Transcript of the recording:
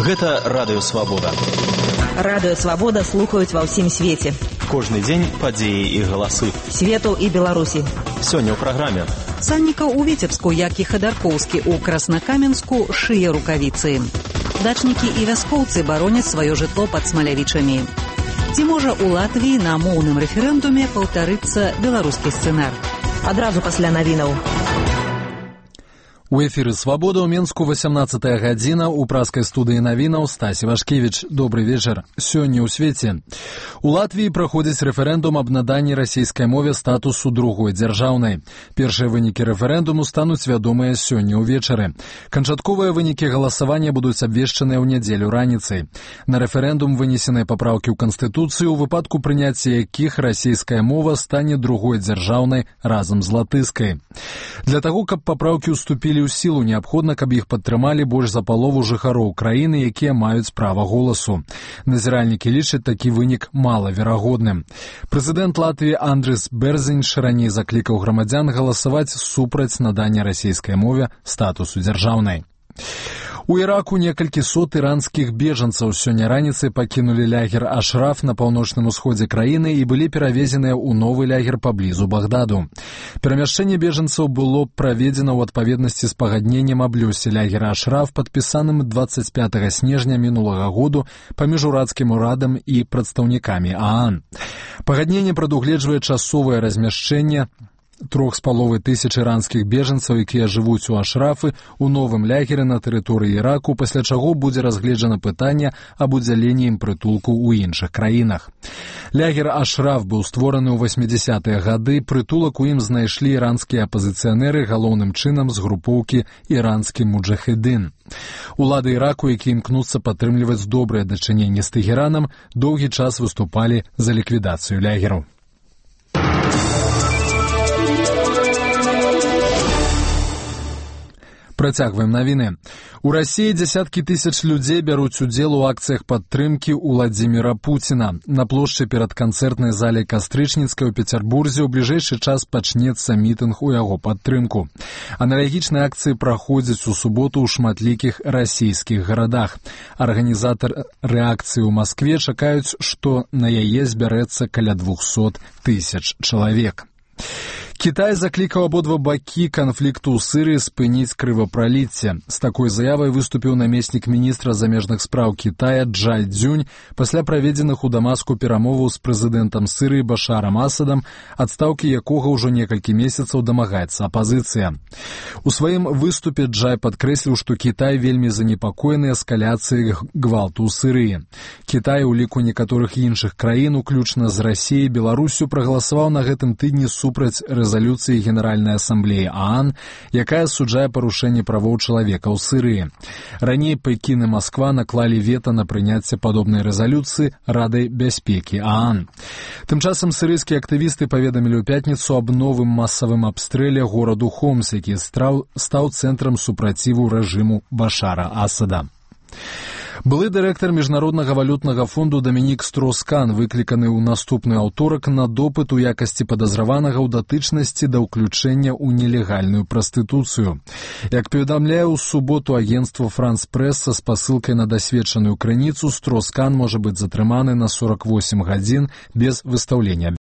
Гэта Радыё Свабода. Радыё Свабода слухаюць ва ўсім свеце. Кожны дзень падзеі і галасы. Свету і Беларусі. Сёння ў праграме. Саннікаў у Віцебску, як і Хадаркоўскі ў Краснакаменску, шые рукавіцы. Дачнікі і вяскоўцы бароняць сваё жытло пад Смалявічамі. Ці можа ў Латвіі на моўным рэферэндуме паўтарыцца беларускі сцэнар? Адразу пасля навінаў. У эфіры «Свабода» ў Менску 18-я гадзіна, у праскай студыі навінаў Стасі Вашкевіч. Добры вечар. Сёння ў свеце. У Латвіі праходзіць рэферэндум аб наданні расійскай мове статусу другой дзяржаўнай. Першыя вынікі рэферэндуму стануць вядомыя сёння ўвечары. Канчатковыя вынікі галасавання будуць абвешчаныя ў нядзелю раніцай. На рэферэндум вынесеныя папраўкі ў Канстытуцыю, у выпадку прыняцця якіх расійская мова стане другой дзяржаўнай разам з латыскай. Для таго, каб папраўкі ўступілі ў сілу, неабходна, каб іх падтрымалі больш за палову жыхароў краіны, якія маюць права голасу. Назіральнікі лічаць такі вынік малаверагодным. Прэзідэнт Латвіі Андрис Берзинш раней заклікаў грамадзян галасаваць супраць надання расійскай мове статусу дзяржаўнай. У Іраку некалькі сот іранскіх бежанцаў сёння раніцай пакінулі лагер Ашраф на паўночным усходзе краіны і былі перавезеныя ў новы лагер паблізу Багдаду. Перамяшчэнне бежанцаў было праведзена ў адпаведнасці з пагадненнем аб лёсе лагера Ашраф, падпісаным 25 снежня мінулага году паміж урадскім урадам і прадстаўнікамі ААН. Пагадненне прадугледжвае часовае размяшчэнне 3500 іранскіх бежанцаў, якія жывуць у Ашрафы, у новым лягеры на тэрыторыі Іраку, пасля чаго будзе разгледжана пытанне аб удзяленні ім прытулку ў іншых краінах. Лягер Ашраф быў створаны ў 80-е гады, прытулак у ім знайшлі іранскія апазіцыянеры, галоўным чынам з групоўкі «Іранскі муджахедин». Улады Іраку, які імкнуцца падтрымліваць добрыя дачыненні з Тэгеранам, доўгі час выступалі за ліквідацыю лягераў. Працягваем навіны. У Расіі дзясяткі тысяч людзей бяруць удзел у акцыях падтрымкі Уладзіміра Пуціна. На плошчы перад канцэртнай залай Кастрычніцкай у Пецярбурзе ў бліжэйшы час пачнецца мітынг у яго падтрымку. Аналагічныя акцыі праходзяць у суботу ў шматлікіх расійскіх гарадах. Арганізатары акцыі ў Маскве чакаюць, што на яе збярэцца каля 200 тысяч чалавек. Кітай заклікаў абодва бакі канфлікту ў Сырыі спыніць крывапраліцце. З такой заявай выступіў намеснік міністра замежных спраў Кітая Джай Цзюнь пасля праведзеных у Дамаску перамоваў з прэзідэнтам Сырыі Башарам Асадам, адстаўкі якога ўжо некалькі месяцаў дамагаецца апазіцыя. У сваім выступе Джай падкрэсліў, што Кітай вельмі занепакоены эскаляцыяй гвалту ў Сырыі. Кітай у ліку некаторых іншых краін, уключна з Расіяй, Беларусю, прагаласаваў на гэтым тыдні супраць рэзалюцыі Генеральнай асамблеі ААН, якая асуджае парушэнне правоў чалавека ў Сырыі. Раней Пекін і Масква наклалі вета на прыняцце падобнай рэзалюцыі Радай бяспекі ААН. Тым часам сырыйскія актывісты паведамілі ў пятніцу аб новым масавым абстрэле гораду Хомс, які стаў цэнтрам супраціву рэжыму Башара Асада. Былы дырэктар Міжнароднага валютнага фонду Дамінік Строскан выкліканы ў наступны аўторак на допыт у якасці падазраванага ў датычнасці да ўключэння ў нелегальную прастытуцыю. Як паведамляе ў суботу агенцтва «Франс Прэс» са спасылкай на дасведчаную крыніцу, Строскан можа быць затрыманы на 48 гадзін без выстаўлення